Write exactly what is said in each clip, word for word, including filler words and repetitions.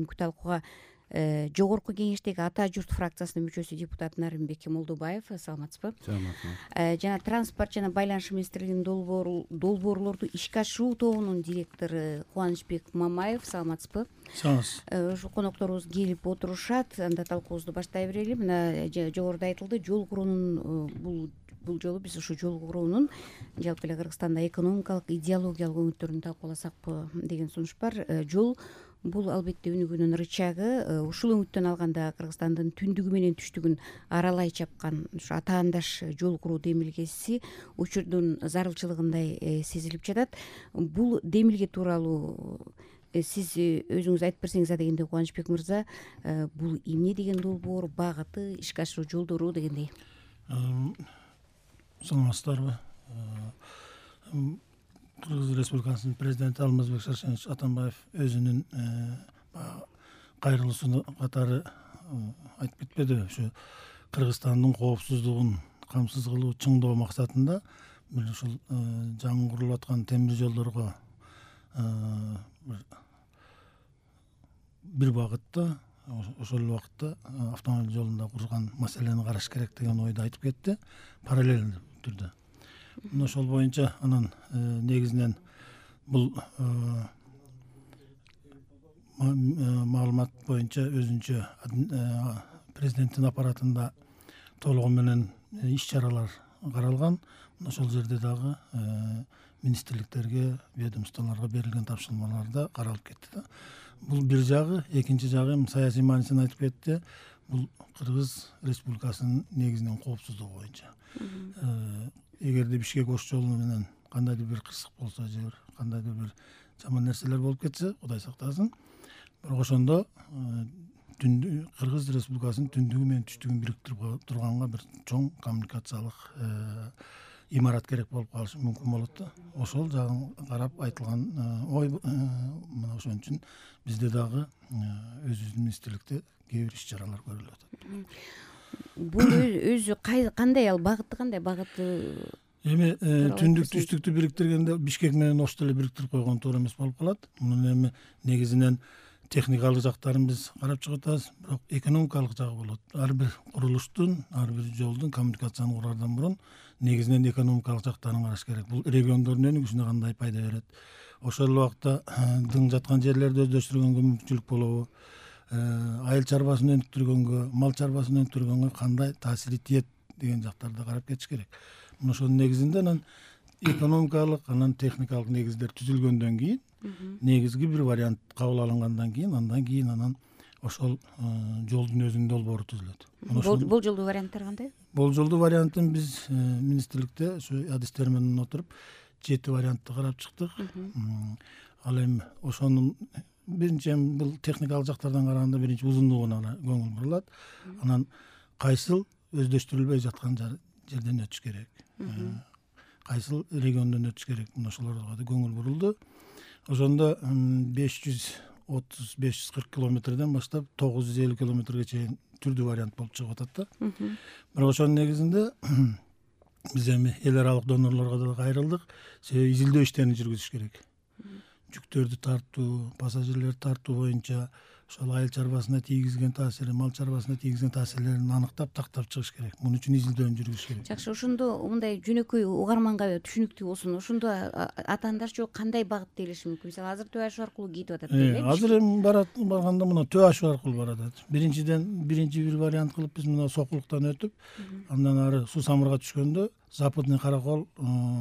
бүгүнкү талкууга жогорку кеңештеги ата журт фракциясынын мүчөсү депутат Нарымбек Молдобаев. Саламатсызбы? Саламатсызбы. Жана транспорт жана байланыш министрлигинин долбоорлорду ишке ашыруу тобунун директору Кубанычбек Мамаев. Саламатсызбы? Саламатсыз. Ушу конокторубуз келип отурушат. Анда талкуубузду баштай берели. Мына жогоруда айтылды, жол куруунун бул бул жолу биз ушу жол куруунун жалпы эле Кыргызстанда экономикалык, идеологиялык өңүттөрүн талкууласакпы деген сунуш бар. Жол бул албетте өнүгүүнүн рычагы. Ушул өңүттөн алганда Кыргызстандын түндүгү менен түштүгүн аралай чапкан ушу атаандаш жол куруу демилгеси учурдун зарылчылыгындай сезилип жатат. Бул демилге тууралуу сиз өзүңүз айтып берсеңиз а дегенде, Кубанычбек мырза, бул эмне деген долбоор, багыты, ишке ашыруу жолдору дегендей. Саламатсыздарбы? Кыргыз Республикасынын президенти Алмазбек Шаршенович Атамбаев өзүнүн кайрылуусу катары айтып кетпедиби? Ушу Кыргызстандын коопсуздугун камсыз кылуу, чыңдоо максатында бир ушул жаңы курулуп аткан темир жолдорго бир багытта, ошол эле убакытта автомобиль жолунда курган маселени караш керек деген ойду айтып кетти, параллельдүү түрдө. Мына ошол боюнча анан негизинен бул маалымат боюнча өзүнчө президенттин аппаратында толугу менен иш-чаралар каралган. Ошол жерде дагы министрликтерге, ведомстволорго берилген тапшырмаларда каралып кетти да. Бул бир жагы. Экинчи жагы саясий маанисин айтып кетти. Бул Кыргыз Республикасынын негизинен коопсуздугу боюнча. Эгерде Бишкек ош жолу менен кандайдыр бир кырсык болсо же бир кандайдыр бир жаман нерселер болуп кетсе, Кудай сактасын, бирок ошондо Кыргыз Республикасынын түндүгү менен түштүгүн бириктирип турганга бир чоң коммуникациялык имарат керек болуп калышы мүмкүн болот да. Ошол жагын карап айтылган ой мына ошон үчүн бизде дагы өзүбүздүн министрликте кээ бир иш-чаралар көрүлүп атат. Бул өзү кандай, ал багыты кандай? Багыты эми түндүк түштүктү бириктиргенде Бишкек менен Ошто эле бириктирип койгон туура эмес болуп калат. Мунун эми негизинен техникалык жактарын биз карап чыгып атабыз, бирок экономикалык жагы болот. Ар бир курулуштун, ар бир жолдун коммуникацияны курардан мурун негизинен экономикалык жактарын караш керек. Бул региондордун өнүгүшүнө кандай пайда берет? Ошол эле убакта дың жаткан жерлерди өздөштүргөнгө мүмкүнчүлүк болобу? Айыл чарбасын өнүктүргөнгө, мал чарбасын өнүктүргөнгө кандай таасири тиет деген жактарды карап кетиш керек. Мына ошонун негизинде анан экономикалык, анан техникалык негиздер түзүлгөндөн кийин, негизги бир вариант кабыл алынгандан кийин, андан кийин анан ошол жолдун өзүнүн долбоору түзүлөт. Болжолдуу варианттар кандай? Болжолдуу вариантын биз министрликте ушу адистер менен отуруп жети вариантты карап чыктык. Ал эми ошонун биринчи эми бул техникалык жактардан караганда биринчи узундугуна көңүл бурулат. Анан кайсыл өздөштүрүлбөй жаткан жерден өтүш керек, кайсыл региондон өтүш керек, мына ошолорго да көңүл бурулду. Ошондо беш жүз отуз беш жүз кырк километрден баштап тогуз жүз элүү километрге чейин түрдүү вариант болуп чыгып атат да. Бирок ошонун негизинде биз эми эл аралык донорлорго да кайрылдык. Себеби изилдөө иштерин жүргүзүш керек. Жүктөрдү тартуу, пассажирлерди тартуу боюнча ошол айыл чарбасына тийгизген таасири, мал чарбасына тийгизген таасирлерин аныктап, тактап чыгыш керек. Муну үчүн изилдөөнү жүргүзүш керек. Жакшы, ошондо мындай жөнөкөй угарманга түшүнүктүү болсун. Ошондо атаандаш жол кандай багыт делиши мүмкүн? Мисалы, азыр Төбө Ашу аркылуу кетип атат дейли. Азыр эми барат барганда мына Төбө Ашу аркылуу барат. Биринчиден биринчи бир вариант кылып биз мына Сокулуктан өтүп, андан ары Суу Самырга түшкөндө Западный Каракол,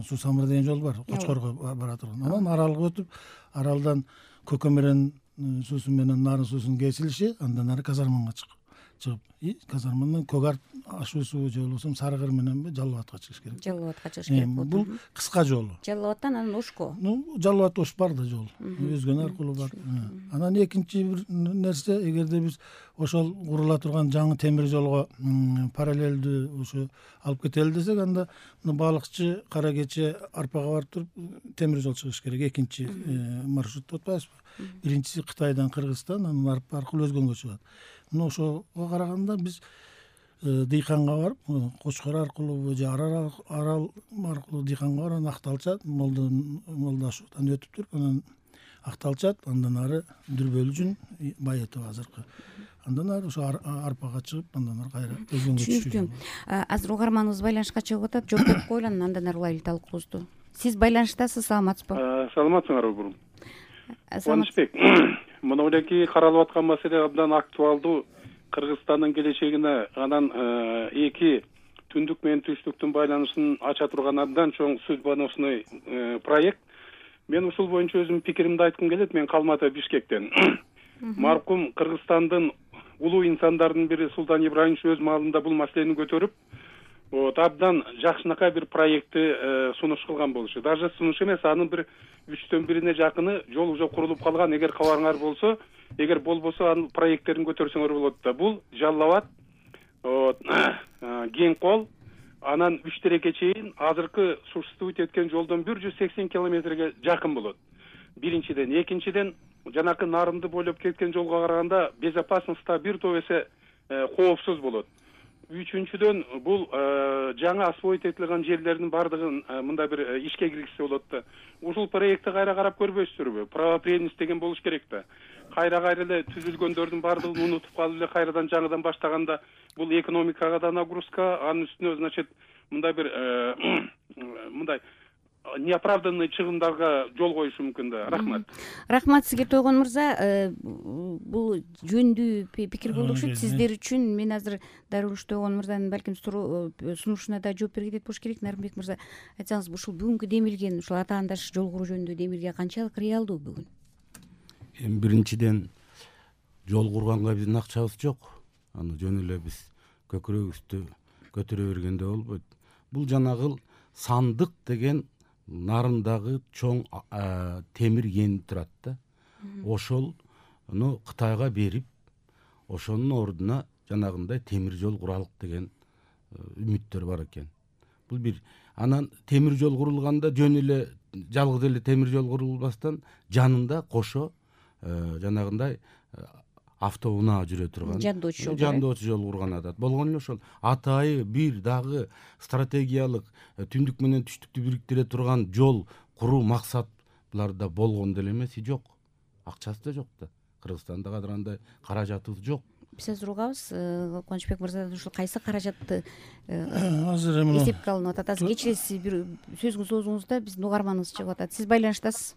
Суу Самыр деген жол бар, Кочкорго бара турган. Анан Аралга өтүп, Аралдан Көкөмөрөн суусу менен Нарын суусунун кесилиши, андан ары Казарманга чыгып, Казармандан Көк Арт ашуусу же болбосо Сарыкыр мененби Жалал абадка чыгыш керек. Жалал абадка чыгыш керек болот. Бул кыска жолу. Жалал абадтан анан Ошко. Ну, Жалал абад Ош бар да жол. Өзгөн аркылуу бар. Анан экинчи бир нерсе, эгерде биз ошол курула турган жаңы темир жолго параллелдүү ушу алып кетели десек, анда Балыкчы, Кара Кече, Арпага барып туруп темир жол чыгыш керек. Экинчи маршрут деп атпайбызбы? Биринчиси Кытайдан Кыргызстан, анан Арп аркылуу өзгөнгө чыгат. Мына ошого караганда биз Дыйканга барып, Кочкор аркылуу же Арал аркылуу Дыйканга барып, Акталча, Молда Молда Ашуудан өтүп туруп, анан акталышат, андан ары дүрбөлүү жүн байытып азыркы. Андан ары ошо арпага чыгып, андан ары кайра өзгөнгө түшүп. Түшүнүктүү. Азыр угарманыбыз байланышка чыгып атат. Жооп берип коелу, андан ары улайлы талкуубузду. Сиз байланыштасыз, саламатсызбы? Саламатсыңарбы бурум? Кубанычбек, мына эки каралып аткан маселе абдан актуалдуу. Кыргызстандын келечегине анан эки түндүк менен түштүктүн байланышын ача турган абдан чоң судьбоносный проект. Мен ушул боюнча өзүмдүн пикиримди айткым келет. Мен Калмата, Бишкектен. Маркум Кыргызстандын улуу инсандардын бири Султан Ибраимович өз маалында бул маселени көтөрүп, вот абдан жакшынакай бир проектти сунуш кылган болчу. Даже сунуш эмес, анын бир үчтөн бирине жакыны жол уже курулуп калган. Эгер кабарыңар болсо, эгер болбосо анын проекттерин көтөрсөңөр болот да. Бул Жалал Абад, вот Кең Кол, анан үч тереке чейин азыркы существует эткен жолдон бир жүз сексен километрге жакын болот. Биринчиден, экинчиден жанакы Нарымды бойлоп кеткен жолго караганда безопасностьта бир топ эсе коопсуз болот. Үчүнчүдөн бул жаңы освоить этилген жерлердин бардыгын мындай бир ишке киргизсе болот да. Ушул проектти кайра карап көрбөйсүзбү? Правопреемность деген болуш керек да. Кайра-кайра эле түзүлгөндөрдүн бардыгын унутуп калып эле кайрадан жаңыдан баштаганда бул экономикага да нагрузка, анын үстүнө, значит, мындай бир мындай неоправданный чыгымдарга жол коюшу мүмкүн да. Рахмат. Рахмат сизге, Тойгон мырза. Бул жөндүү пикир болуп окшойт сиздер үчүн. Мен азыр Дарулуш Тойгон мырзанын балким сунушуна да жооп бергидей болуш керек. Нарымбек мырза, айтсаңыз, ушул бүгүнкү демилген ушул атаандаш жол куруу жөнүндө демилге канчалык реалдуу бүгүн? Эми биринчиден жол курганга биздин акчабыз жок. Аны жөн эле биз көкүрөгүбүздү көтөрө бергенде болбойт. Бул жанагыл Сандык деген Нарымдагы чоң темир кени турат да. Ошону Кытайга берип, ошонун ордуна жанагындай темир жол куралык деген үмүттөр бар экен. Бул бир. Анан темир жол курулганда жөн эле жалгыз эле темир жол курулбастан жанында кошо жанагындай автоунаа жүрө турган жандоочу жол жандоочу жол курган адат болгон эле. Ошол атайы бир дагы стратегиялык түндүк менен түштүктү бириктире турган жол куруу максатларда болгон деле эмес, жок. Акчасы да жок да. Кыргызстанда кадыр андай каражатыбыз жок. Биз азыр угабыз. Кубанычбек мырзадан ушул кайсы каражатты азыр эми эсепке алынып атат? Азыр кечиресиз, бир сөзүңүздү созуңузда биздин угарманыбыз чыгып атат. Сиз байланыштасыз.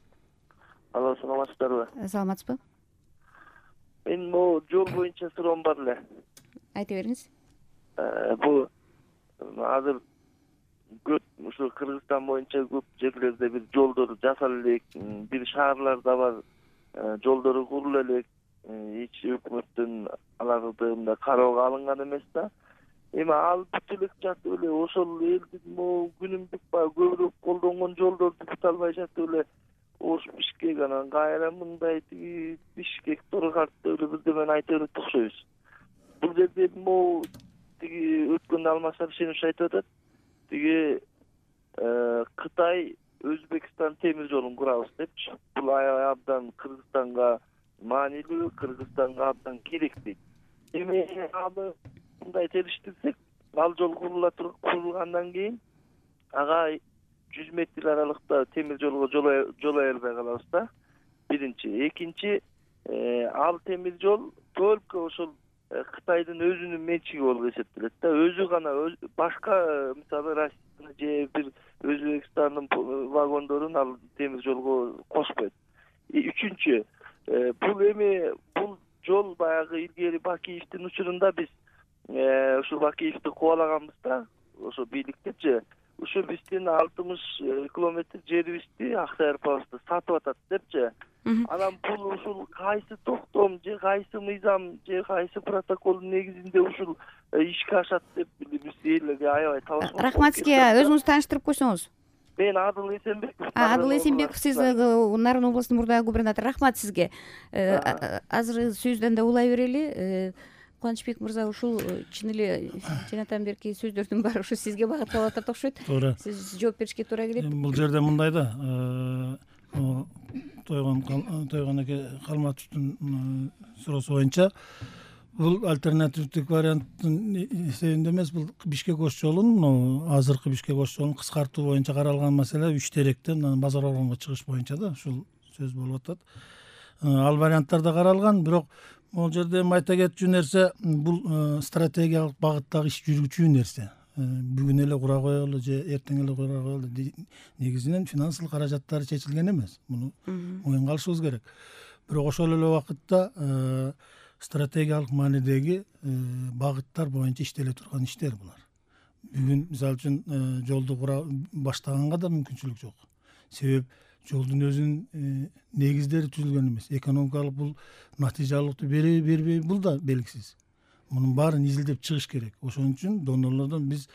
Алло, саламатсыздарбы? Саламатсызбы? Мен могу жол боюнча суроом бар эле. Айта бериңиз. Бул азыр көп ушу Кыргызстан боюнча көп жерлерде бир жолдор жасала элек, бир шаарларда бар жолдору курула элек. Эч өкмөттүн аларды мындай кароого алынган эмес да. Эми ал бүт элек жатып эле ошол элдин могу күнүмдүк баягы көбүрөөк колдонгон жолдорду бүт албай жатып эле Ош Бишкек, анан кайра мындай тиги Бишкек Торгартты эле бирдемени айта берет окшойбуз. Бул жерде могу тиги өткөндө Алмаз Абишенович айтып атат. Тиги Кытай Өзбекстан темир жолун курабыз депчи. Бул абдан Кыргызстанга маанилүү, Кыргызстанга абдан керек дейт. Эми аны мындай териштирсек, ал жол курулла курулгандан кийин ага жүз метр аралыкта темир жолго жолой албай калабыз да. Биринчи, экинчи, ал темир жол только ошол Кытайдын өзүнүн менчиги болуп эсептелет да. Өзү гана башка, мисалы, Россия же бир Өзбекстандын вагондорун ал темир жолго кошпойт. Үчүнчү, бул эми бул жол баягы илгери Бакиевдин учурунда биз ушул Бакиевди кубалаганбыз да, ошо бийликтечи. Ушу биздин алтымыш километр жерибизди Аксай арпабызды сатып атат депчи. Анан бул ушул кайсы токтом же кайсы мыйзам же кайсы протоколдун негизинде ушул ишке ашат деп биз элге аябай табышмак. Рахмат сизге. Өзүңүздү тааныштырып койсоңуз. Мен Адыл Эсенбеков. Адыл Эсенбеков, сиз Нарын областынын мурдагы губернатору. Рахмат сизге. Азыр сөздөн да улай берели. Кубанычбек мырза, ушул чын эле жанатан берки сөздөрдүн баары ушу сизге багытталып атат окшойт. Туура. Сиз жооп беришке туура келет. Бул жерде мындай да, Тойгон Тойгон эке Калматовдун суроосу боюнча бул альтернативдик варианттын эсебинде эмес, бул Бишкек Ош жолун, азыркы Бишкек Ош жолун кыскартуу боюнча каралган маселе үч теректен базар оргонго чыгыш боюнча да, ушул сөз болуп атат. Ал варианттар да каралган, бирок могул жерде эми айта кетчү нерсе, бул стратегиялык багыттагы иш жүргүчү нерсе. Бүгүн эле кура коелу же эртең эле кура коелу, негизинен финансылык каражаттары чечилген эмес. Муну моюнга алышыбыз керек. Бирок ошол эле убакытта стратегиялык маанидеги багыттар боюнча иштеле турган иштер булар. Бүгүн мисалы үчүн жолду кура баштаганга да мүмкүнчүлүк жок. Себеп жолдун өзүнүн негиздери түзүлгөн эмес. Экономикалык бул натыйжалуулукту береби бербейби бул да белгисиз. Мунун баарын изилдеп чыгыш керек. Ошон үчүн донорлордон биз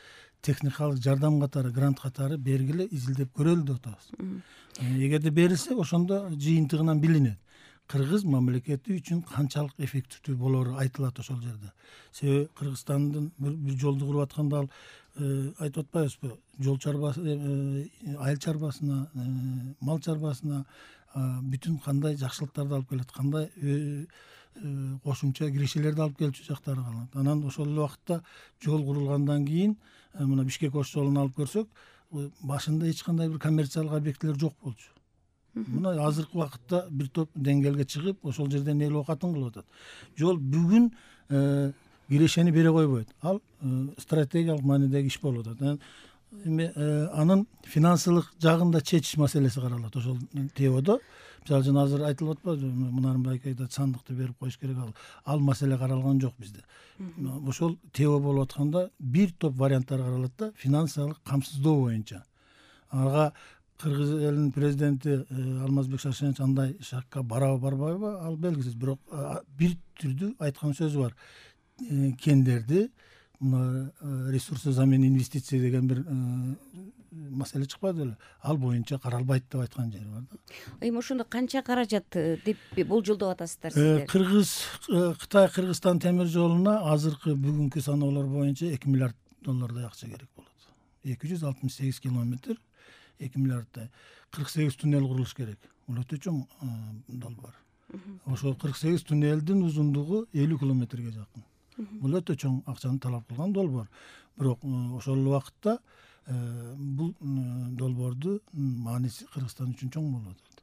техникалык жардам катары, грант катары бергиле изилдеп көрөлү деп атабыз. Эгерде берилсе, ошондо жыйынтыгынан билинет. Кыргыз мамлекети үчүн канчалык эффективдүү болору айтылат ошол жерде. Себеби Кыргызстандын бир жолду куруп атканда ал айтып атпайбызбы? Жол чарбасы, айыл чарбасына, мал чарбасына бүтүн кандай жакшылыктарды алып келет, кандай кошумча киришелерди алып келчү жактары калат. Анан ошол эле убакытта жол курулгандан кийин мына Бишкек Ош жолун алып көрсөк, башында эч кандай бир коммерциялык объектилер жок болчу. Мына азыркы убакытта бир топ деңгээлге чыгып, ошол жерден эл оокатын кылып атат. Жол бүгүн кирешени бере койбойт. Ал стратегиялык маанидеги иш болуп атат. Эми анын финансылык жагында чечиш маселеси каралат ошол теодо. Мисалы үчүн азыр айтылып атпайбы, Мунарбек айтат, сандыкты берип коюш керек, ал ал маселе каралган жок бизде. Ошол тео болуп атканда бир топ варианттар каралат да, финансылык камсыздоо боюнча. Ага Кыргыз элинин президенти Алмазбек Шаршенович андай шакка барабы барбайбы, ал белгисиз. Бирок бир түрдүү айткан сөзү бар. Кендерди ресурсы замен инвестиция деген бир маселе чыкпады беле, ал боюнча каралбайт деп айткан жери бар да. Эми ошондо канча каражат деп болжолдоп атасыздар сиздер? Кыргыз Кытай Кыргызстан темир жолуна азыркы бүгүнкү саноолор боюнча эки миллиард доллардай акча керек болот. эки жүз алтымыш сегиз километр, эки миллиарддай. кырк сегиз туннел курулуш керек. Бул өтө чоң долбоор. Ошол кырк сегиз туннелдин узундугу элүү километрге жакын. Бул өтө чоң акчаны талап кылган долбоор. Бирок ошол убакытта бул долбоорду мааниси Кыргызстан үчүн чоң болуп атат.